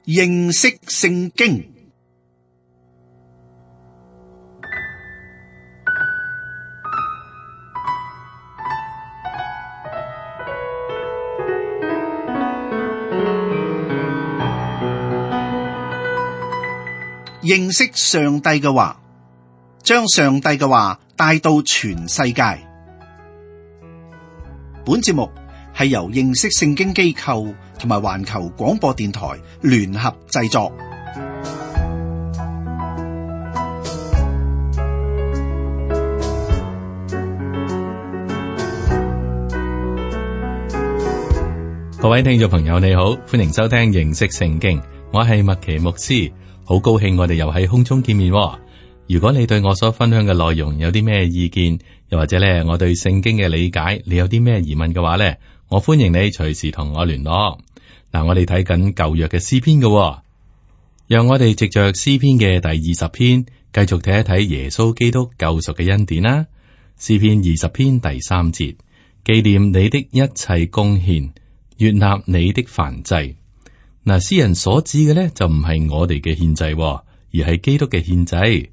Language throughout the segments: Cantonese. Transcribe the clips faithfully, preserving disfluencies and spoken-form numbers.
認識聖經。認識上帝嘅話，將上帝嘅話帶到全世界。本節目係由認識聖經機構同埋環球廣播電台聯合製作。各位聽眾朋友，你好，歡迎收聽認識聖經，我係麥奇牧師。好高興我哋又喺空中見面。如果你對我所分享嘅內容有啲咩意見，又或者咧我對聖經嘅理解，你有啲咩疑問嘅話咧，我歡迎你隨時同我聯絡。嗱，我哋睇緊舊約嘅詩篇嘅，讓我哋藉着詩篇嘅第二十篇，繼續睇一睇耶穌基督救贖嘅恩典啦。詩篇二十篇第三節，紀念你的一切貢獻，悅納你的燔祭。嗱，詩人所指嘅咧就唔係我哋嘅獻祭，而係基督嘅獻祭。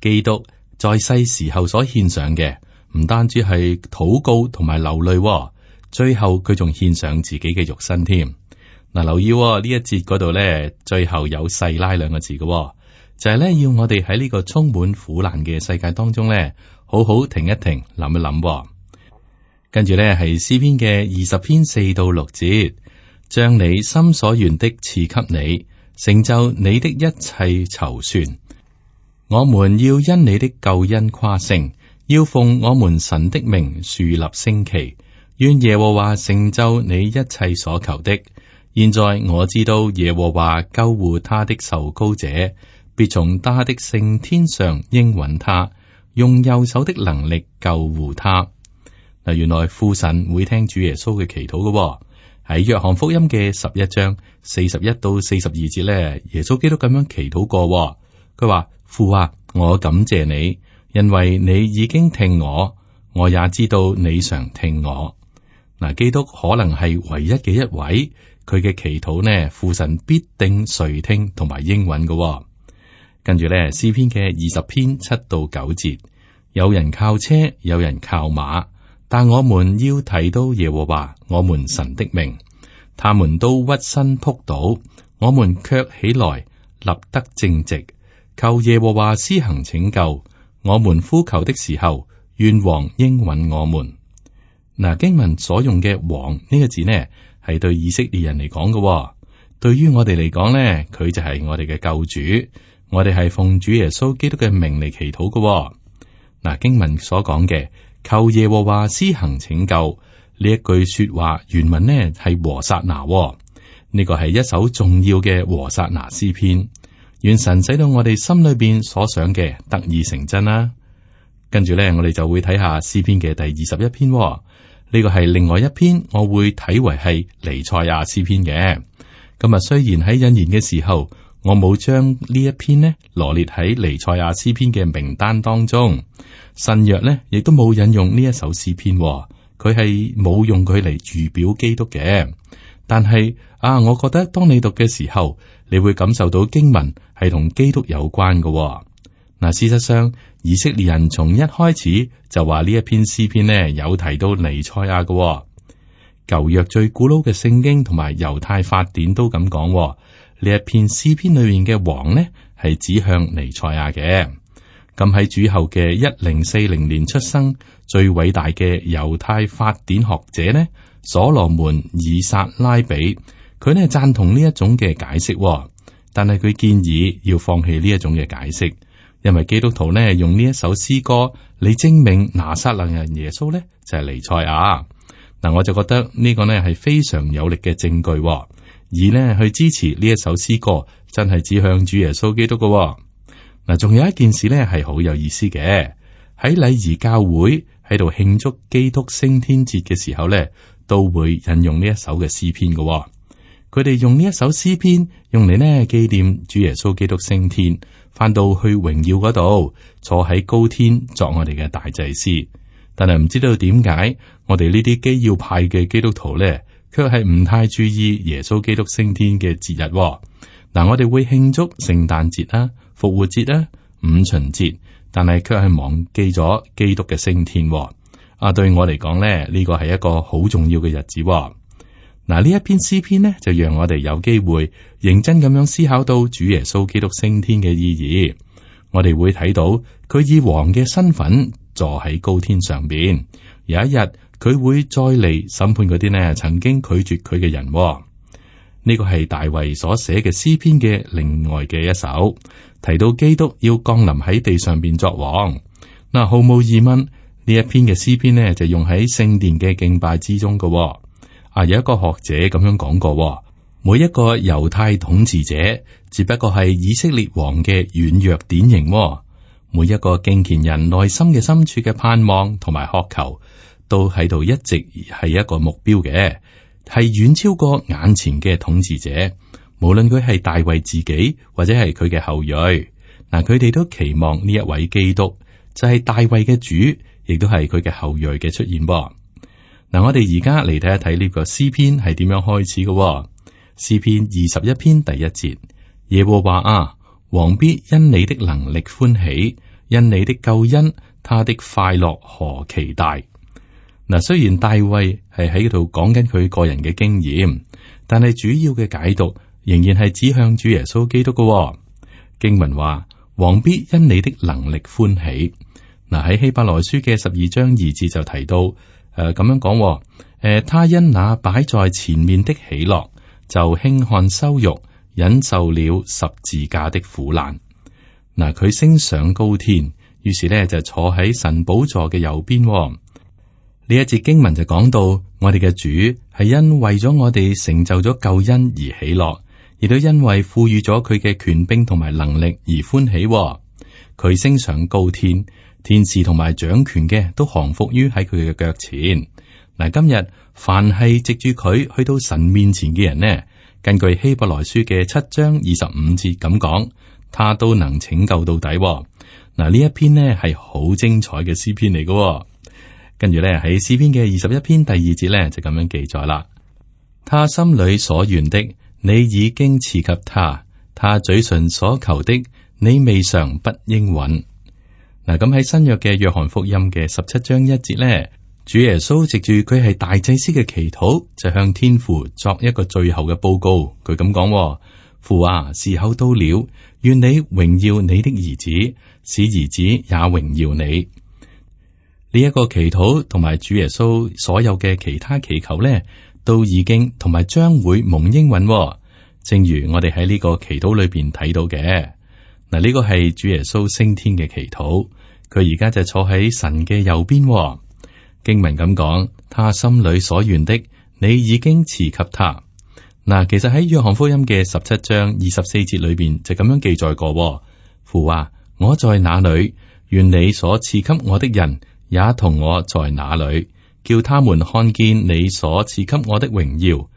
基督在世時候所獻上嘅，唔單止係禱告同埋流淚，最後佢仲獻上自己嘅肉身添。嗱，留意呢一節嗰度咧，最後有細拉兩個字嘅，就係咧要我哋喺呢個充滿苦難嘅世界當中咧，好好停一停，諗一諗。跟住咧係詩篇嘅二十篇四到六節。將你心所願的賜給你，成就你的一切籌算。我們要因你的救恩誇勝，要奉我們神的名豎立旌旗。願耶和華成就你一切所求的。現在我知道耶和華救護他的受膏者，必從他的聖天上應允他，用右手的能力救護他。嗱，原來父神會聽主耶穌嘅祈禱嘅。喺約翰福音嘅十一章四十一到四十二節咧，耶穌基督咁樣祈禱過，佢話：父啊，我感謝你，因為你已經聽我，我也知道你常聽我。嗱，基督可能係唯一嘅一位，佢嘅祈禱呢，父神必定垂聽同埋應允嘅。跟住咧，詩篇嘅二十篇七到九節，有人靠車，有人靠馬。但我們要提到耶和華我們神的名，他們都屈身仆倒，我們卻起來立得正直，求耶和華施行拯救。我們呼求的時候，願王應允我們。嗱，經文所用嘅王呢個字呢，係對以色列人嚟講嘅，對於我哋嚟講呢，佢就係我哋嘅救主，我哋係奉主耶穌基督嘅名嚟祈禱嘅。嗱，經文所講嘅。求耶和華施行拯救呢一句說話原文呢係和撒那，呢個係一首重要嘅和撒那詩篇。願神使到我哋心裏邊所想嘅得以成真啦。跟住呢，我哋就會睇下詩篇嘅第二十一篇，呢個係另外一篇，我會睇為係彌賽亞詩篇嘅。咁啊，雖然喺引言嘅時候，我冇將呢一篇呢羅列喺彌賽亞詩篇嘅名單當中。新約呢亦都冇引用呢一首詩篇，佢係冇用佢嚟預表基督嘅。但係啊，我覺得當你讀嘅時候，你會感受到經文係同基督有關嘅。嗱，事實上，以色列人從一開始就話呢一篇詩篇呢有提到彌賽亞嘅。舊約最古老嘅聖經同埋猶太法典都咁講，呢一篇詩篇裏面嘅王呢係指向彌賽亞嘅。咁喺主後嘅一零四零年出生，最偉大嘅猶太法典學者呢，所羅門以撒拉比，佢呢贊同呢一種嘅解釋，但係佢建議要放棄呢一種嘅解釋，因為基督徒呢用呢一首詩歌嚟證明拿撒勒人耶穌呢就係彌賽亞。嗱，我就覺得呢個呢係非常有力嘅證據，而呢去支持呢一首詩歌真係指向主耶穌基督嘅。嗱，仲有一件事咧係好有意思嘅，喺禮儀教會喺度慶祝基督升天節嘅時候咧，都會引用呢一首嘅詩篇嘅。佢哋用呢一首詩篇用嚟呢紀念主耶穌基督升天，翻到去榮耀嗰度，坐喺高天作我哋嘅大祭司。但係唔知道點解我哋呢啲基要派嘅基督徒咧，卻係唔太注意耶穌基督升天嘅節日。嗱，我哋會慶祝聖誕節啦、復活節啦、五旬節，但係卻係忘記咗基督嘅升天。啊，對我嚟講咧，呢個係一個好重要嘅日子。嗱，呢一篇詩篇呢，就讓我哋有機會認真咁樣思考到主耶穌基督升天嘅意義。我哋會睇到佢以王嘅身份坐喺高天上邊，有一日佢會再嚟審判嗰啲呢曾經拒絕佢嘅人。呢個係大衛所寫嘅詩篇嘅另外嘅一首，提到基督要降臨喺地上邊作王。嗱，毫無疑問，呢一篇嘅詩篇呢就用喺聖殿嘅敬拜之中嘅。啊，有一個學者咁樣講過，每一個猶太統治者只不過係以色列王嘅軟弱典型。每一個敬虔人內心嘅深處嘅盼望同埋渴求，都喺度一直係一個目標嘅。係遠超過眼前嘅統治者，無論佢係大衛自己或者係佢嘅後裔，嗱，佢哋都期望呢一位基督就係大衛嘅主，亦都係佢嘅後裔嘅出現。嗱，我哋而家嚟睇一睇呢個詩篇係點樣開始嘅。詩篇二十一篇第一節：耶和華啊，王必因你的能力歡喜，因你的救恩，他的快樂何其大。嗱，雖然大衛係喺度講緊佢個人嘅經驗，但係主要嘅解讀仍然係指向主耶穌基督嘅。經文話：王必因你的能力歡喜。嗱，喺希伯來書嘅十二章二節就提到，誒、呃、咁樣講，誒、呃、他因那擺在前面的喜樂，就輕看羞辱，忍受了十字架的苦難。嗱，佢升上高天，於是呢就坐喺神寶座嘅右邊。呢一節經文就講到，我哋嘅主係因為咗我哋成就咗救恩而喜樂，亦都因為賦予咗佢嘅權柄同埋能力而歡喜。佢升上高天，天使同埋掌權嘅都降服於喺佢嘅腳前。嗱，今日凡係藉住佢去到神面前嘅人呢，根據希伯來書嘅七章二十五節咁講，他都能拯救到底。嗱，呢一篇呢係好精彩嘅詩篇嚟嘅。跟住咧喺詩篇嘅二十一篇第二節咧就咁樣記載啦。他心裏所願的，你已經賜給他；他嘴唇所求的，你未嘗不應允。嗱，咁喺新約嘅約翰福音嘅十七章一節咧，主耶穌藉住佢係大祭司嘅祈禱，就向天父作一個最後嘅報告。佢咁講：父啊，時候到了，願你榮耀你的兒子，使兒子也榮耀你。呢一個祈禱同埋主耶穌所有嘅其他祈求咧，都已經同埋將會蒙應允。正如我哋喺呢個祈禱裏邊睇到嘅，嗱，呢個係主耶穌升天嘅祈禱，佢而家就坐喺神嘅右邊。經文咁講，他心裏所願的，你已經賜給他。嗱，其實喺約翰福音嘅十七章二十四節裏邊就咁樣記載過：父啊，我在哪裏，願你所賜給我的人也同我在那裏，叫他們看見你所賜給我的榮耀，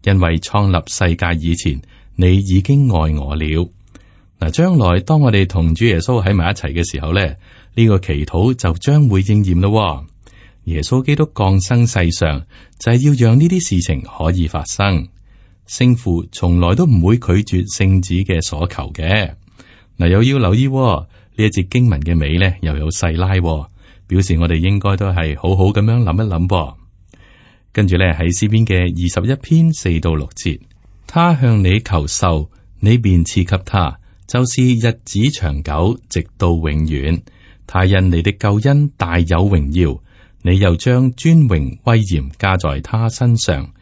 因為創立世界以前，你已經愛我了。嗱，將來當我哋同主耶穌喺埋一齊嘅時候咧，呢個祈禱就將會應驗咯。耶穌基督降生世上，就係要讓呢啲事情可以發生。聖父從來都唔會拒絕聖子嘅所求嘅。嗱，又要留意呢一節經文嘅尾咧，又有細拉。表示我哋應該都係好好咁樣諗一諗噃。跟住咧喺詩篇嘅二十一篇四到六節，他向你求壽，你便賜給他，就是日子長久，直到永遠。他因你的救恩大有榮耀，你又將尊榮威嚴加在他身上。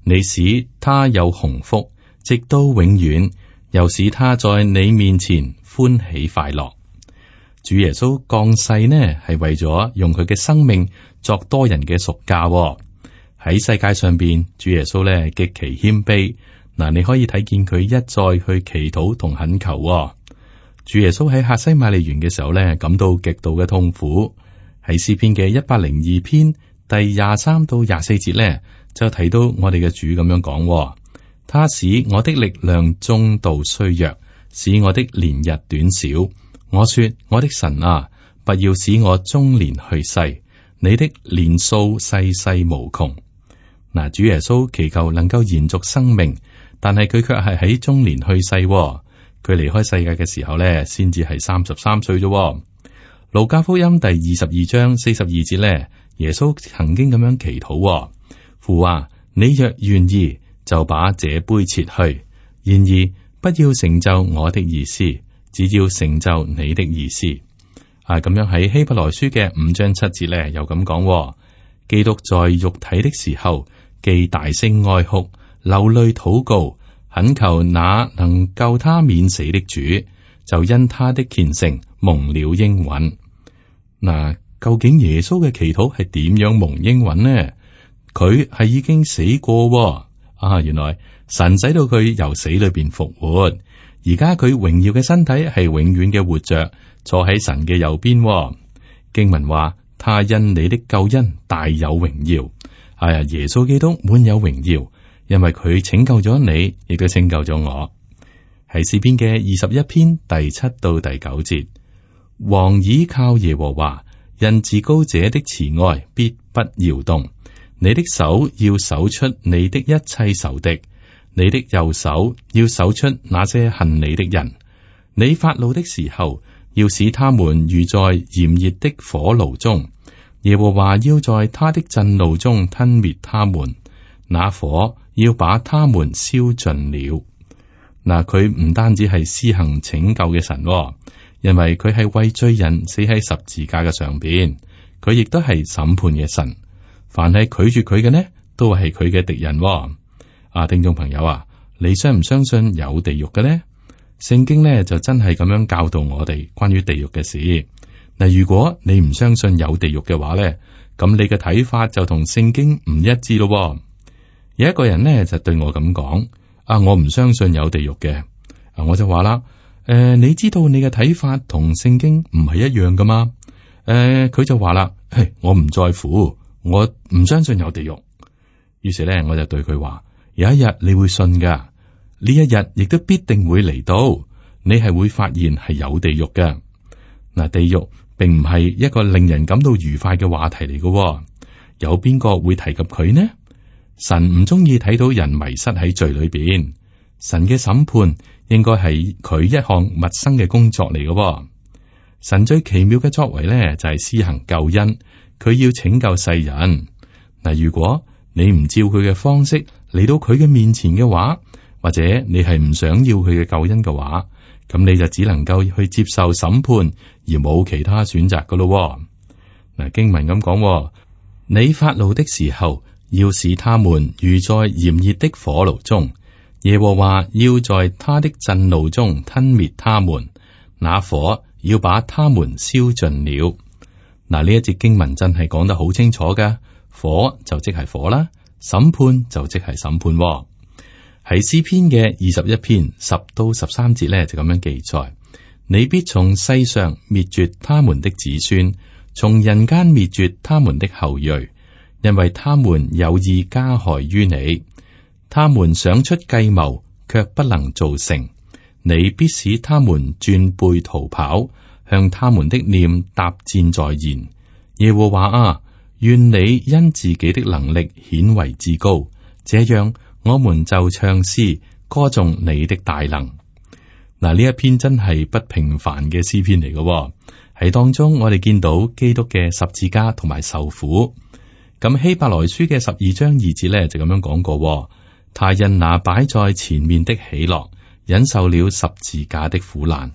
你使他有鴻福，直到永遠，又使他在你面前歡喜快樂。主耶穌降世呢，係為咗用佢嘅生命作多人嘅贖價。喺世界上邊，主耶穌咧極其謙卑。嗱，你可以睇見佢一再去祈禱同懇求。主耶穌喺客西馬尼園嘅時候咧，感到極度嘅痛苦。喺詩篇嘅一百零二篇第廿三到廿四節咧，就提到我哋嘅主咁樣講：他使我的力量中度衰弱，使我的年日短少。我說：我的神啊，不要使我中年去世，你的年數世世無窮。嗱，主耶穌祈求能夠延續生命，但係佢卻係喺中年去世。佢離開世界嘅時候咧，先至係三十三歲啫。路加福音第二十二章四十二節咧，耶穌曾經咁樣祈禱：父啊，你若願意，就把這杯撤去；然而不要成就我的意思，只要成就你的意思。啊，咁樣喺希伯來書嘅五章七節咧，又咁講：基督在肉體的時候，既大聲哀哭，流淚禱告，懇求那能救他免死的主，就因他的虔誠蒙了應允。嗱，究竟耶穌嘅祈禱係點樣蒙應允呢？佢係已經死過啊！原來神使到佢由死裏邊復活，而家佢榮耀嘅身體係永遠嘅活着，坐喺神嘅右邊。經文話：他因你的救恩大有榮耀。係啊，耶穌基督滿有榮耀，因為佢拯救咗你，亦都拯救咗我。係詩篇嘅二十一篇第七到第九節。王倚靠耶和華，因至高者的慈愛必不搖動。你的手要搜出你的一切仇敵，你的右手要搜出那些恨你的人。你發怒的時候，要使他們如在炎熱的火爐中。耶和華要在他的震怒中吞滅他們，那火要把他們燒盡了。嗱，佢唔單止係施行拯救嘅神，因為佢係為罪人死喺十字架嘅上邊，佢亦都係審判嘅神。凡係拒絕佢嘅呢，都係佢嘅敵人。啊，聽眾朋友啊，你相唔相信有地獄嘅呢？聖經呢就真係咁樣教導我哋關於地獄嘅事。嗱，如果你唔相信有地獄嘅話呢，咁你嘅睇法就同聖經唔一致咯。有一個人呢就對我咁講：啊，我唔相信有地獄嘅。啊，我就話啦。誒、呃，你知道你嘅睇法同聖經唔係一樣噶嘛？誒、呃，佢就話啦，我唔在乎，我唔相信有地獄。於是咧，我就對佢話：有一日你會信噶，呢一日亦都必定會嚟到，你係會發現係有地獄嘅。嗱，地獄並唔係一個令人感到愉快嘅話題嚟嘅。有邊個會提及佢呢？神唔中意睇到人迷失喺罪裏邊，神嘅審判應該係佢一項陌生嘅工作嚟嘅。神最奇妙嘅作為咧，就係施行救恩，佢要拯救世人。嗱，如果你唔照佢嘅方式嚟到佢嘅面前嘅話，或者你係唔想要佢嘅救恩嘅話，咁你就只能夠去接受審判，而冇其他選擇噶咯。嗱，經文咁講，你發怒的時候，要使他們如在炎熱的火爐中。耶和華要在他的震怒中吞滅他們，那火要把他們燒盡了。嗱，呢一節經文真係講得好清楚噶，火就即係火啦，審判就即係審判。喺詩篇嘅二十一篇十到十三節咧，就咁樣記載：你必從世上滅絕他們的子孫，從人間滅絕他們的後裔，因為他們有意加害於你。他們想出計謀，卻不能造成。你必使他們轉背逃跑，向他們的臉搭箭在弦。耶和華啊，願你因自己的能力顯為至高，這樣我們就唱詩歌頌你的大能。嗱，呢一篇真係不平凡嘅詩篇嚟嘅，喺當中我哋見到基督嘅十字架同埋受苦。咁希伯來書嘅十二章二節咧就咁樣講過。他因那擺在前面的喜樂，忍受了十字架的苦難。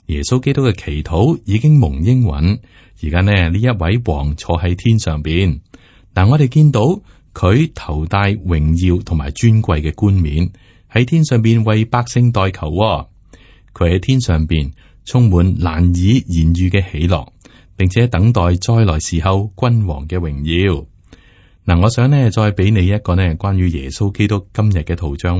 耶穌基督嘅祈禱已經蒙應允，而家呢呢一位王坐喺天上邊，但我哋見到佢頭戴榮耀同埋尊貴嘅冠冕，喺天上邊為百姓代求。佢喺天上邊充滿難以言喻嘅喜樂，並且等待再來時候君王嘅榮耀。嗱，我想呢再俾你一個呢關於耶穌基督今日嘅圖像。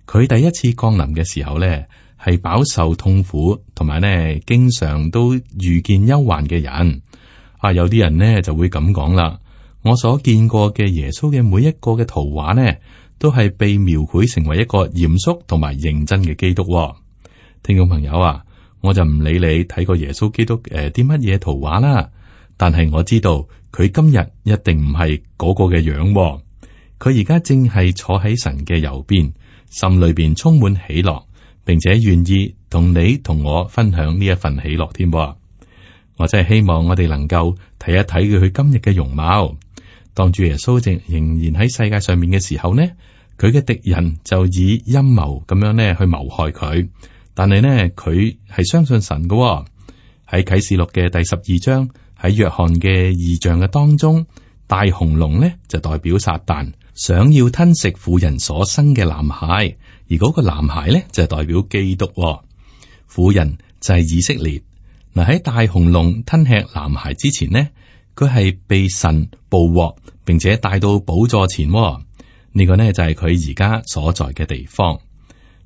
佢第一次降臨嘅時候呢，係飽受痛苦，同埋呢經常都遇見憂患嘅人。啊，有啲人呢就會咁講啦。我所見過嘅耶穌嘅每一個嘅圖畫呢，都係被描繪成為一個嚴肅同埋認真嘅基督。聽眾朋友啊，我就唔理你睇過耶穌基督誒啲乜嘢圖畫啦，但係我知道。佢今日一定唔係嗰個嘅樣，佢而家正係坐喺神嘅右邊，心裏邊充滿喜樂，並且願意同你同我分享呢一份喜樂添。我真係希望我哋能夠睇一睇佢今日嘅容貌。當主耶穌正仍然喺世界上面嘅時候呢，佢嘅敵人就以陰謀咁樣呢去謀害佢。但係呢，佢係相信神嘅。喺啟示錄嘅第十二章，喺約翰嘅異象嘅當中，大紅龍呢就代表撒旦，想要吞食婦人所生嘅男孩，而嗰個男孩呢就係代表基督。婦人就係以色列。嗱，喺大紅龍吞吃男孩之前呢，佢係被神捕獲，並且帶到寶座前。呢個呢就係佢而家所在嘅地方。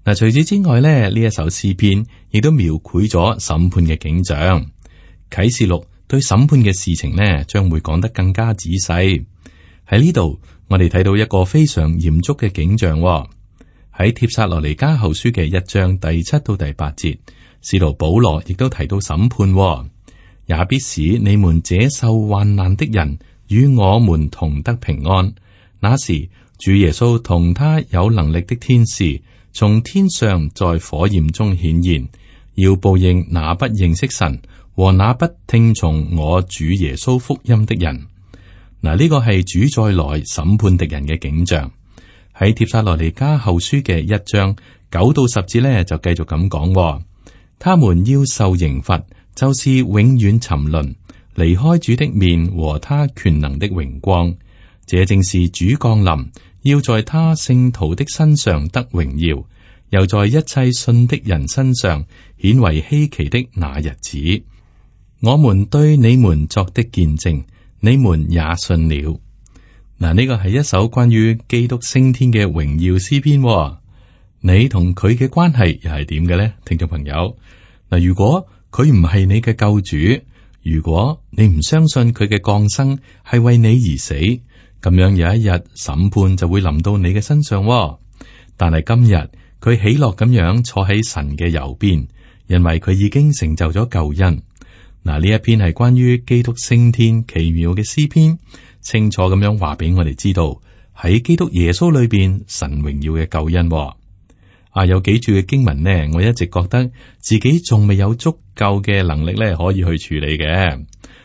嗱，除此之外咧，呢一首詩篇亦都描繪咗審判嘅景象。啟示錄對審判嘅事情呢，將會講得更加仔細。喺呢度，我哋睇到一個非常嚴肅嘅景象。喺帖撒羅尼迦後書嘅一章第七到第八節，使徒保羅亦都提到審判，也必使你們這受患難的人與我們同得平安。那時，主耶穌同他有能力的天使從天上在火焰中顯現，要報應那不認識神和那不聽從我主耶穌福音的人。嗱，呢個係主再來審判敵人嘅景象。喺帖撒羅尼迦後書嘅一章九到十節呢，就繼續咁講：他們要受刑罰，就是永遠沉淪，離開主的面和他權能的榮光。這正是主降臨，要在他聖徒的身上得榮耀，又在一切信的人身上顯為稀奇的那日子。我們對你們作的見證，你們也信了。嗱，呢個係一首關於基督升天嘅榮耀詩篇。你同佢嘅關係又係點嘅呢？聽眾朋友，嗱，如果佢唔係你嘅救主，如果你唔相信佢嘅降生係為你而死，咁樣有一日審判就會臨到你嘅身上。但係今日佢喜樂咁樣坐喺神嘅右邊，因為佢已經成就咗救恩。嗱，呢一篇係關於基督升天奇妙嘅詩篇，清楚咁樣話俾我哋知道喺基督耶穌裏邊神榮耀嘅救恩。啊，有幾處嘅經文呢，我一直覺得自己仲未有足夠嘅能力咧，可以去處理嘅。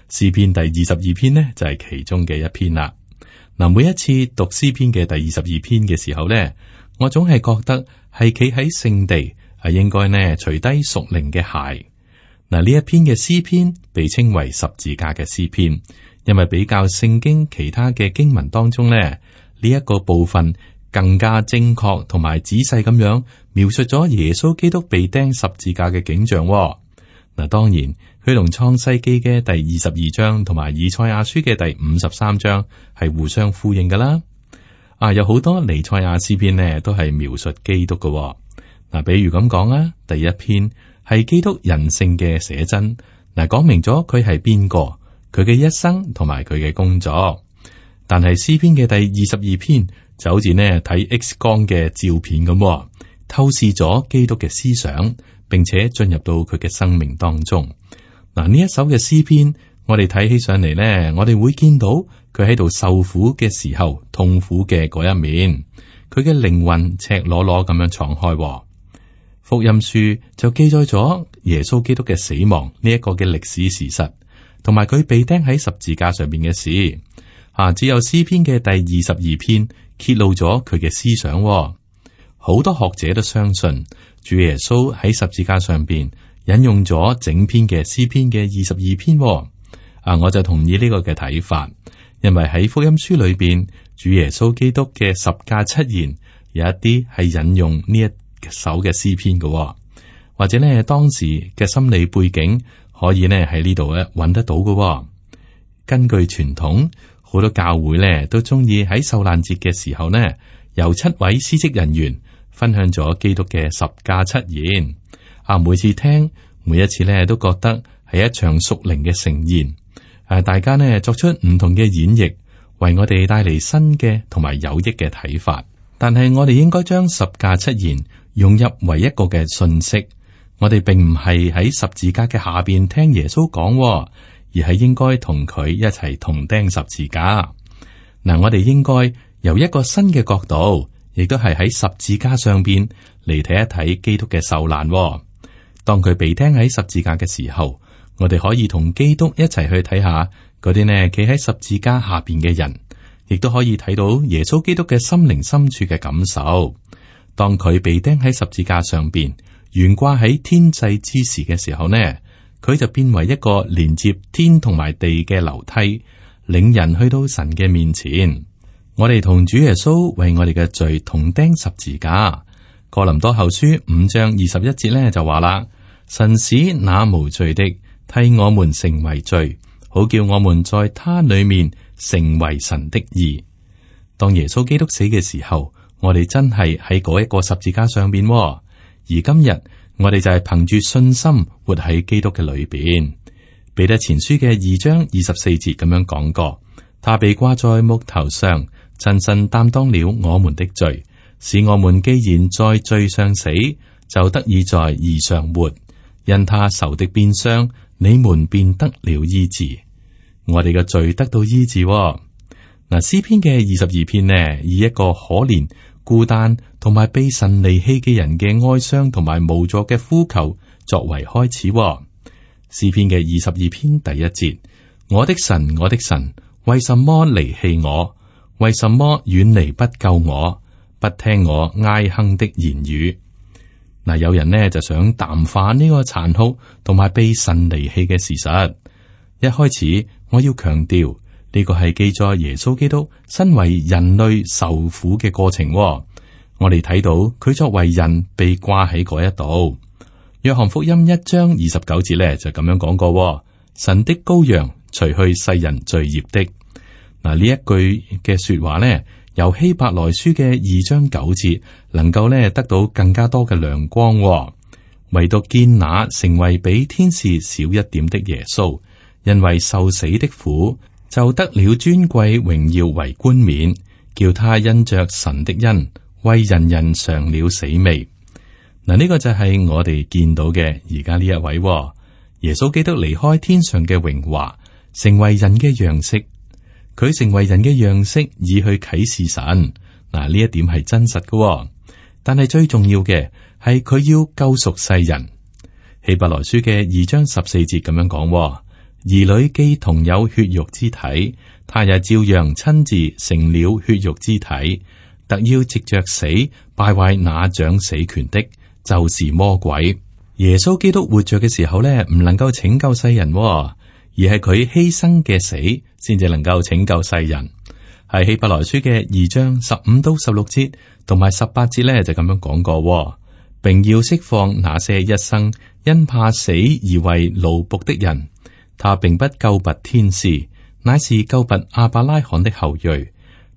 詩篇第二十二篇呢，就係其中嘅一篇啦。嗱，每一次讀詩篇嘅第二十二篇嘅時候呢，我總係覺得係企喺聖地，係應該呢除低屬靈嘅鞋。嗱，呢一篇嘅詩篇被稱為十字架嘅詩篇，因為比較聖經其他嘅經文當中呢，呢一個部分更加精確同埋仔細咁樣描述咗耶穌基督被釘十字架嘅景象。嗱，當然佢同創世記嘅第二十二章同埋以賽亞書嘅第五十三章係互相呼應噶啦。啊，有好多彌賽亞詩篇呢都係描述基督嘅。嗱，比如咁講啊，第一篇係基督人性嘅寫真，嗱，講明咗佢係邊個，佢嘅一生同埋佢嘅工作。但係詩篇嘅第二十二篇就好似呢睇 X 光嘅照片咁，透視咗基督嘅思想，並且進入到佢嘅生命當中。嗱，呢一首嘅詩篇，我哋睇起上嚟呢，我哋會見到佢喺度受苦嘅時候痛苦嘅嗰一面，佢嘅靈魂赤裸裸咁樣敞開。福音書就記載咗耶穌基督嘅死亡呢一個嘅歷史事實，同埋佢被釘喺十字架上面嘅事。啊，只有詩篇嘅第二十二篇揭露咗佢嘅思想。好多學者都相信主耶穌喺十字架上邊引用咗整篇嘅詩篇嘅二十二篇。啊，我就同意呢個嘅睇法，因為喺福音書裏邊，主耶穌基督嘅十架七言有一啲係引用呢一首嘅詩篇嘅，或者呢當時嘅心理背景可以呢喺呢度咧揾得到嘅。根據傳統，好多教會呢都中意喺受難節嘅時候呢，由七位司職人員分享咗基督嘅十架七言。啊，每次聽，每一次呢都覺得係一場屬靈嘅盛宴。誒，大家呢作出唔同嘅演繹，為我哋帶嚟新嘅同埋有益嘅睇法。但係我哋應該將十架七言融入為一個嘅信息。我哋並唔係喺十字架嘅下邊聽耶穌講，而係應該同佢一齊同釘十字架。嗱，我哋應該由一個新嘅角度，亦都係喺十字架上邊嚟睇一睇基督嘅受難。當佢被釘喺十字架嘅時候，我哋可以同基督一齊去睇下嗰啲呢企喺十字架下邊嘅人，亦都可以睇到耶穌基督嘅心靈深處嘅感受。當佢被釘喺十字架上邊，懸掛喺天際之時嘅時候呢，佢就變為一個連接天同埋地嘅樓梯，領人去到神嘅面前。我哋同主耶穌為我哋嘅罪同釘十字架。哥林多後書五章二十一節呢就話啦：神使那無罪的替我們成為罪，好叫我們在他裏面成為神的義。當耶穌基督死嘅時候，我哋真係喺嗰一個十字架上邊，而今日我哋就係憑住信心活喺基督嘅裏邊。彼得前書嘅二章二十四節咁樣講過：他被掛在木頭上，親身擔當了我們的罪，使我們既然在罪上死，就得以在義上活。因他受的鞭傷，你們便得了醫治。我哋嘅罪得到醫治。嗱，詩篇嘅二十二篇呢，以一個可憐、孤單同埋被神離棄嘅人嘅哀傷同埋無助嘅呼求作為開始。詩篇嘅二十二篇第一節：我的神，我的神，為什麼離棄我？為什麼遠離不救我？不聽我哀哼的言語。嗱，有人呢就想淡化呢個殘酷同埋被神離棄嘅事實。一開始我要強調呢個係記載耶穌基督身為人類受苦嘅過程。我哋睇到佢作為人被掛喺嗰一度。約翰福音一章二十九節呢就咁樣講過：神的羔羊，除去世人罪孽的。嗱，呢一句嘅說話呢，由希伯來書嘅二章九節能夠呢得到更加多嘅亮光。唯獨見那成為比天使少一點的耶穌，因為受死的苦，就得了尊貴榮耀為冠冕，叫他因着神的恩，為人人嘗了死味。嗱，呢個就係我哋見到嘅而家呢一位耶穌基督離開天上嘅榮華，成為人嘅樣式。佢成為人嘅樣式，以去啟示神。嗱，呢一點係真實嘅，但係最重要嘅係佢要救贖世人。希伯來書嘅二章十四節咁樣講：兒女既同有血肉之體，他也照樣親自成了血肉之體，特要藉着死敗壞那掌死權的，就是魔鬼。耶穌基督活着嘅時候呢，唔能夠拯救世人，而係佢犧牲嘅死，先至能夠拯救世人。係希伯來書嘅二章十五到十六節同埋十八節咧，就咁樣講過，並要釋放那些一生因怕死而為奴僕的人。他並不救拔天使，乃是救拔亞伯拉罕的後裔。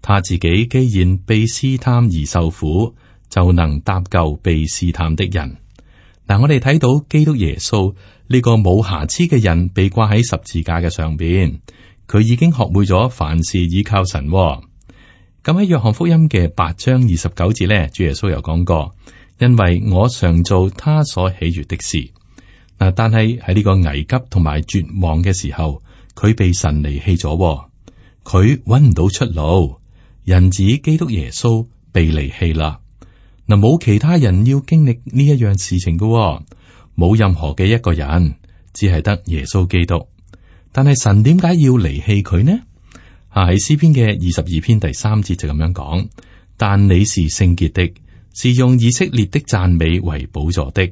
他自己既然被試探而受苦，就能搭救被試探的人。嗱，我哋睇到基督耶穌呢個冇瑕疵嘅人被掛喺十字架嘅上邊，佢已經學會咗凡事依靠神。咁喺約翰福音嘅八章二十九節呢，主耶穌又講過：因為我常做他所喜悅的事。嗱，但係喺呢個危急同埋絕望嘅時候，佢被神離棄咗，佢揾唔到出路。人子基督耶穌被離棄啦。嗱，冇其他人要經歷呢一樣事情嘅，冇任何嘅一個人，只係得耶穌基督。但係神點解要離棄佢呢？啊，喺詩篇嘅二十二篇第三節就咁樣講：但你是聖潔的，是用以色列的讚美為寶座的。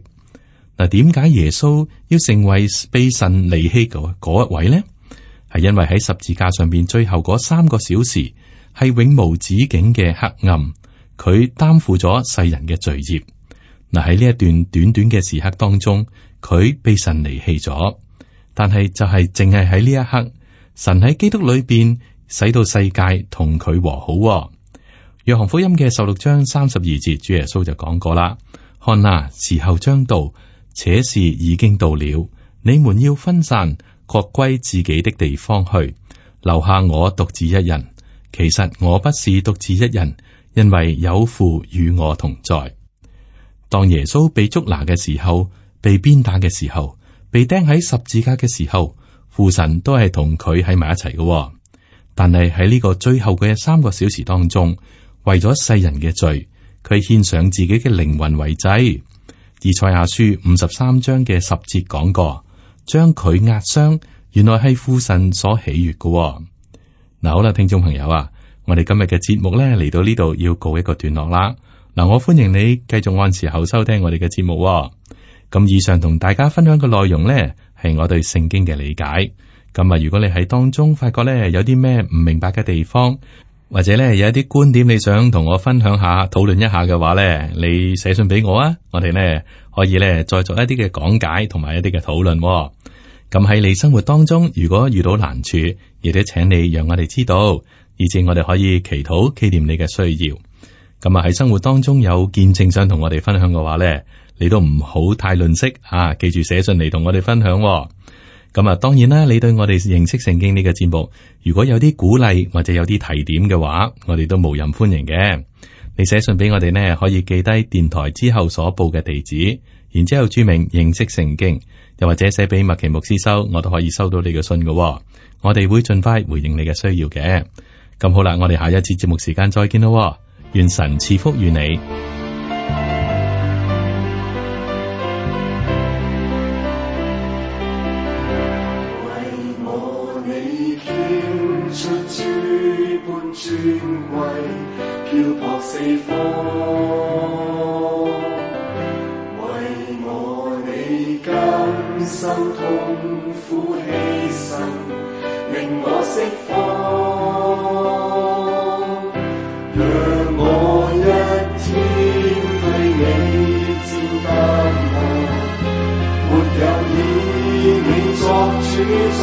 嗱，點解耶穌要成為被神離棄嗰嗰一位呢？係因為喺十字架上邊最後嗰三個小時係永無止境嘅黑暗。佢擔負咗世人嘅罪孽。嗱，喺呢一段短短嘅時刻當中，佢被神離棄咗。但係就係淨係喺呢一刻，神喺基督裏邊使到世界同佢和好。約翰福音嘅十六章三十二節，主耶穌就講過啦：看哪，時候將到，且是已經到了，你們要分散，各歸自己的地方去，留下我獨自一人。其實我不是獨自一人，因為有父與我同在。當耶穌被捉拿嘅時候，被鞭打嘅時候，被釘喺十字架嘅時候，父神都係同佢喺埋一齊嘅。但係喺呢個最後嘅三個小時當中，為咗世人嘅罪，佢獻上自己嘅靈魂為祭。以賽亞書五十三章嘅十節講過，將佢壓傷，原來係父神所喜悅嘅、哦。嗱，好啦，聽眾朋友啊，我哋今日嘅節目咧嚟到呢度要告一個段落啦。嗱，我歡迎你繼續按時候收聽我哋嘅節目、哦。咁以上同大家分享嘅內容咧，係我對聖經嘅理解。咁啊，如果你喺當中發覺咧有啲咩唔明白嘅地方，或者咧有一啲觀點你想同我分享下、討論一下嘅話咧，你寫信俾我啊，我哋咧可以咧再做一啲嘅講解同埋一啲嘅討論。咁喺你生活當中，如果遇到難處，亦都請你讓我哋知道，以致我哋可以祈禱紀念你嘅需要。咁啊喺生活當中有見證想同我哋分享嘅話咧，你都唔好太吝嗇啊！記住寫信嚟同我哋分享。咁啊，當然啦，你對我哋認識聖經呢個節目，如果有啲鼓勵或者有啲提點嘅話，我哋都無任歡迎嘅。你寫信俾我哋呢，可以記低電台之後所報嘅地址，然之後注明認識聖經，又或者寫俾麥奇牧師收，我都可以收到你嘅信嘅。我哋會盡快回應你嘅需要嘅。咁好啦，我哋下一次節目時間再見咯。願神賜福於你。尊貴漂泊四方，為我你甘心痛苦犧牲，令我釋放。讓我一天對你照淡薄，沒有以你作主作